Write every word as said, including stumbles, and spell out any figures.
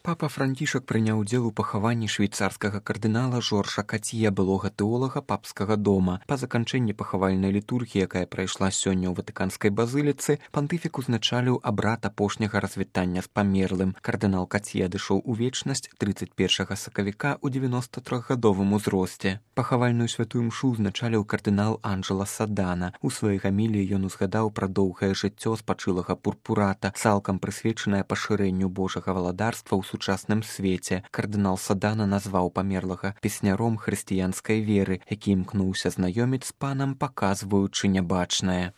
Папа Францішак прыняў удзел у пахаванні швейцарскага кардынала Жоржа Кацье, былога тэолага папскага дома. Па заканчэнні пахавальнай літургіі, якая прайшла сёння ў ватыканскай базыліцы, пантыфік узначаліў абрад апошняга развітання з памерлым. Кардынал Кацье адышоў у вечнасць трыццаць першага сакавіка ў дзевяноста трохгадовым узросце. Пахавальную святую мшу узначаліў кардынал Анджела Садана. У сваёй гаміліі ён узгадаў пра доўгае жыццё спачылага пурпурата, цалкам прысвечанае пашырэнню Божага валадарства ў сучасным свеце. Кардынал Садана назваў памерлага песняром хрысціянскай веры, які імкнуўся знаёміць з панам, паказваючы нябачнае.